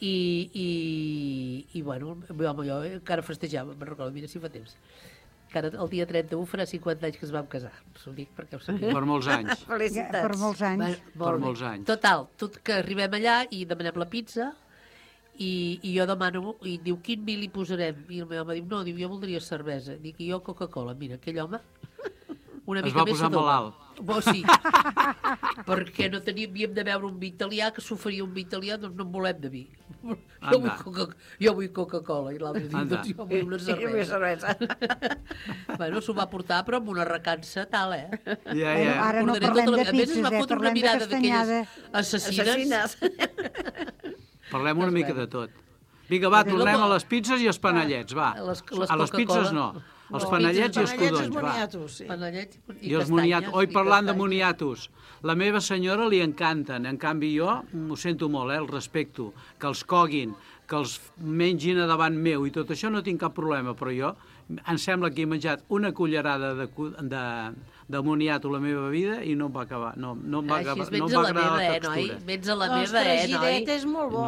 I bueno, jo encara festejava, me'n recordo, mira si fa temps. Que el dia 31 farà 50 anys que es vam casar. S'ho dic perquè ho sabia. Per molts anys. Felicitats. Per molts anys. Per molts anys. Total, que arribem allà i demanem la pizza i jo demano, i diu, quin vi li posarem? I el meu home diu, no, jo voldria cervesa. Dic, i jo Coca-Cola. Mira, aquell home una mica més posar malalt. Sí, perquè no havíem de veure un vi italià, que s'oferia un vi italià, doncs no en volem de vi. Jo vull Coca-Cola. I l'altre diu, doncs jo vull una cervesa. Bueno, s'ho va portar, però amb una recança tal, Ara no parlem de pizzas, parlem de castanyada. Assassines. Parlem una mica de tot. Vinga, va, tornem a les pizzas i els panellets, va. A les pizzas no. Els panellets i els codonys, va. I els moniatos. Oi, parlant de moniatos. La meva senyora li encanten. En canvi, jo ho sento molt, el respecto. Que els coguin, que els mengin a davant meu i tot això no tinc cap problema, però jo em sembla que he menjat una cullerada de moniato la meva vida i no em va acabar. No em va agradar la textura. Vens a la meva, noi? Fregidet és molt bo.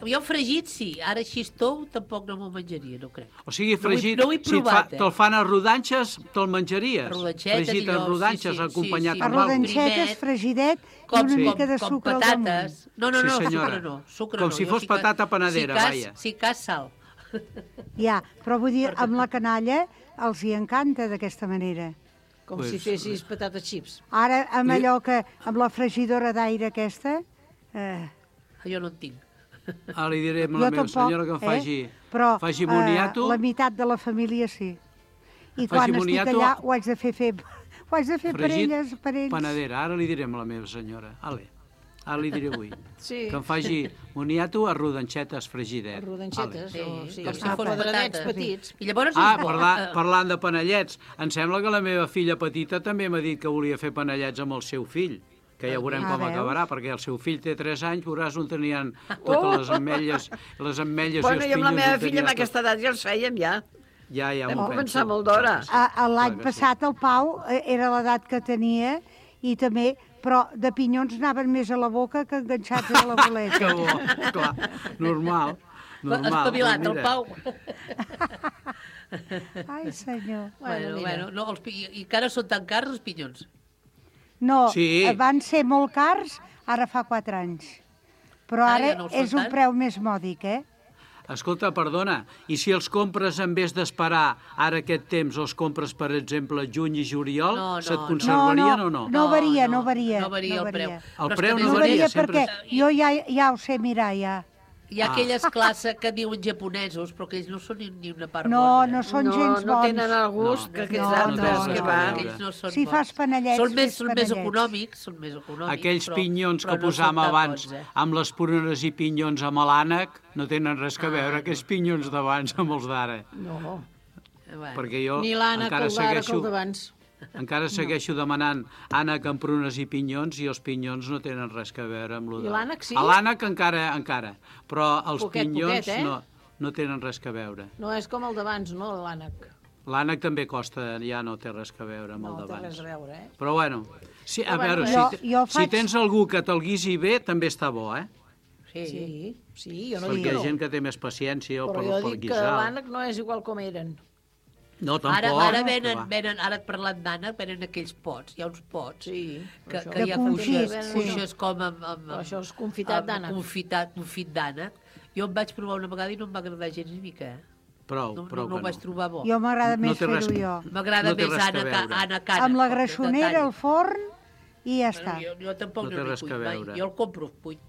Jo fregit sí, ara així tou tampoc no m'ho menjaria, no crec. O sigui, fregit, si te'l fan a rodanxes, te'l menjaries. Fregit a rodanxes, acompanyat amb alguna cosa. A rodanxetes, fregidet i una mica de sucre al damunt. No, sucre no. Com si fos patata panadera, vaja. Si cas sal. Ja, però vull dir, amb la canalla els hi encanta d'aquesta manera. Com si fessis patates xips. Ara, amb allò que, amb la fregidora d'aire aquesta... Jo no en tinc. Li diré a la meva senyora que em faci moniato. La meitat de la família sí. I quan estic allà ho haig de fer per elles, per ells. Panadera, ara li diré a la meva senyora. Ara li diré avui. Que em faci moniato a rodanxetes fregidet. A rodanxetes, com si fos quadradets petits. I llavors parlant de panellets, em sembla que la meva filla petita també m'ha dit que volia fer panellets amb el seu fill, que ja veurem com acabarà, perquè el seu fill té 3 anys, veuràs on tenien totes les ametlles i els pinyons. Bueno, i amb la meva filla amb aquesta edat ja els fèiem, ja. Ja m'ho penso. Vam començar molt d'hora. L'any passat el Pau era l'edat que tenia i també... però de pinyons anaven més a la boca que enganxats a la boleta. Que bo, clar, normal. Espavilat, el Pau. Ai, senyor. Bueno, i que ara són tan cars els pinyons? No, van ser molt cars, ara fa 4 anys. Però ara és un preu més mòdic, Escolta, perdona, i si els compres en vez d'esperar ara aquest temps, els compres, per exemple, juny i juliol, se't conservarien o no? No varia. No varia el preu. El preu no varia, perquè jo ja ho sé mirar, ja. Hi ha aquelles classes que diuen japonesos, però que ells no són ni una part bona. No són gens bons. No tenen el gust que aquells altres que van. Si fas panellets, són més econòmics. Aquells pinyons que posàvem abans, amb les prunes i pinyons amb l'ànec, no tenen res a veure, aquells pinyons d'abans amb els d'ara. No. Perquè jo ni l'ànec, el d'ara, que el d'abans. Encara segueixo demanant ànec amb prunes i pinyons, i els pinyons no tenen res a veure amb I l'ànec sí? L'ànec encara, però els pinyons no tenen res a veure. No és com el d'abans, no, l'ànec? L'ànec també costa, ja no té res a veure amb el d'abans. No té res a veure, Però bueno, a veure, si tens algú que te'l guisi bé, també està bo, eh? Sí, jo no dic que no. Perquè hi ha gent que té més paciència per guisar. Però jo dic que l'ànec no és igual com eren. No, tampoc. Ara et parlant d'ànec, venen aquells pots. Hi ha uns pots que hi ha cuixes com amb... Això és confitat d'ànec. Confit d'ànec. Jo em vaig provar una vegada i no em va agradar gens ni mica. Prou no ho vaig trobar bo. Jo m'agrada més fer-ho jo. M'agrada més ànec. Amb la greixonera, el forn i ja està. Jo tampoc no n'hi cuit mai. Jo el compro cuit.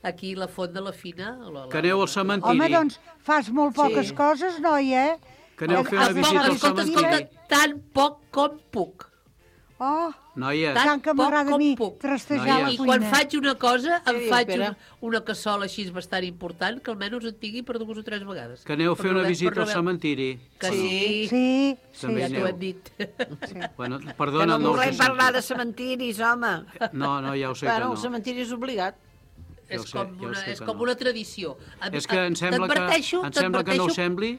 Aquí la Font de la Fina... Que aneu al cementiri. Home, doncs fas molt poques coses, noia, Que aneu a fer una visita al cementiri. Tan poc com puc. Oh, noies, tant que m'agrada a mi trastejar la cuina. I quan faig una cosa, em faig una cassola així bastant important, que almenys en tingui per 2 o 3 vegades. Que aneu a fer una visita al cementiri. Que sí. Ja t'ho hem dit. Bueno, perdona, no volem parlar de cementiris, home. No, ja ho sé que no. El cementiri és obligat. És com una tradició. És que em sembla que no ho sembli.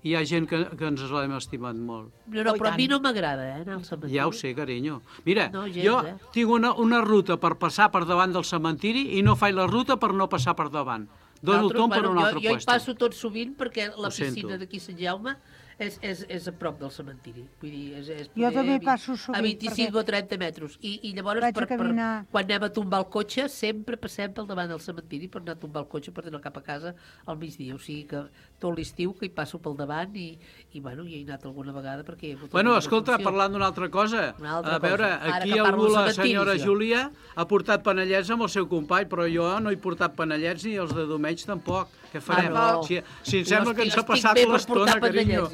Hi ha gent que ens l'hem estimat molt. Però a mi no m'agrada, anar al cementiri. Ja ho sé, carinyo. Mira, jo tinc una ruta per passar per davant del cementiri i no faig la ruta per no passar per davant. Dono el tom per un altre lloc. Jo lloc. hi passo tot sovint perquè la piscina d'aquí Sant Jaume és a prop del cementiri. Vull dir, jo també passo sovint. A 25 o 30 metres. I llavors, quan anem a tombar el cotxe, sempre passem pel davant del cementiri per anar a tombar el cotxe per anar cap a casa al migdia. O sigui que tot l'estiu que hi passo pel davant i bueno, hi he anat alguna vegada perquè... Bueno, escolta, parlant d'una altra cosa. A veure, aquí algú, la senyora Júlia, ha portat panellets amb el seu company, però jo no he portat panellets ni els de Domenys tampoc. Què farem? Si em sembla que ens ha passat l'estona, carinyo.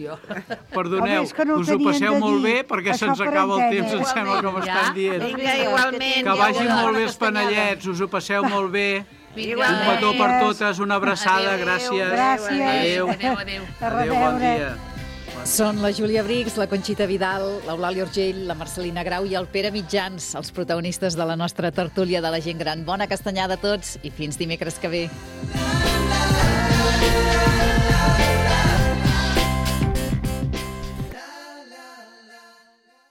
Perdoneu, us ho passeu molt bé perquè se'ns acaba el temps, em sembla que m'estan dient. Vinga, igualment. Que vagin molt bé els panellets, us ho passeu molt bé. Un petó per totes, una abraçada, gràcies. Gràcies. Adéu, bon dia. Són la Júlia Brix, la Conxita Vidal, l'Eulàlia Urgell, la Marcelina Grau i el Pere Mitjans, els protagonistes de la nostra tertúlia de la gent gran. Bona castanyada a tots i fins dimecres que ve.